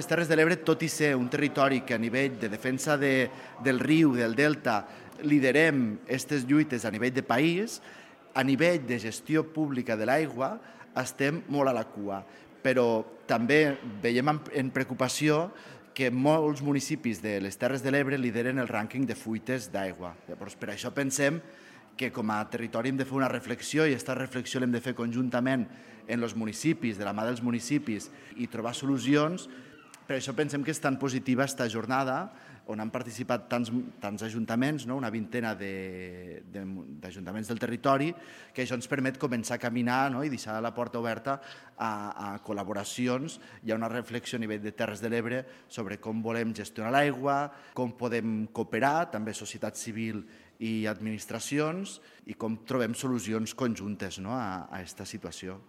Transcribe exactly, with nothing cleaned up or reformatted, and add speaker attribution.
Speaker 1: Les Terres de l'Ebre, tot i ser un territori que a nivell de defensa de, del riu, del delta, liderem aquestes lluites a nivell de país, a nivell de gestió pública de l'aigua estem molt a la cua. Però també veiem en preocupació que molts municipis de les Terres de l'Ebre lideren el rànquing de fuites d'aigua. Llavors, per això pensem que com a territori hem de fer una reflexió i aquesta reflexió l'hem de fer conjuntament en els municipis, de la mà dels municipis, i trobar solucions. Per això pensem que és tan positiva aquesta jornada on han participat tants, tants ajuntaments, no? Una vintena d'ajuntaments de, de, del territori, que això ens permet començar a caminar, no? I deixar la porta oberta a, a col·laboracions. Hi ha una reflexió a nivell de Terres de l'Ebre sobre com volem gestionar l'aigua, com podem cooperar, també societat civil i administracions, i com trobem solucions conjuntes, no? a aquesta situació.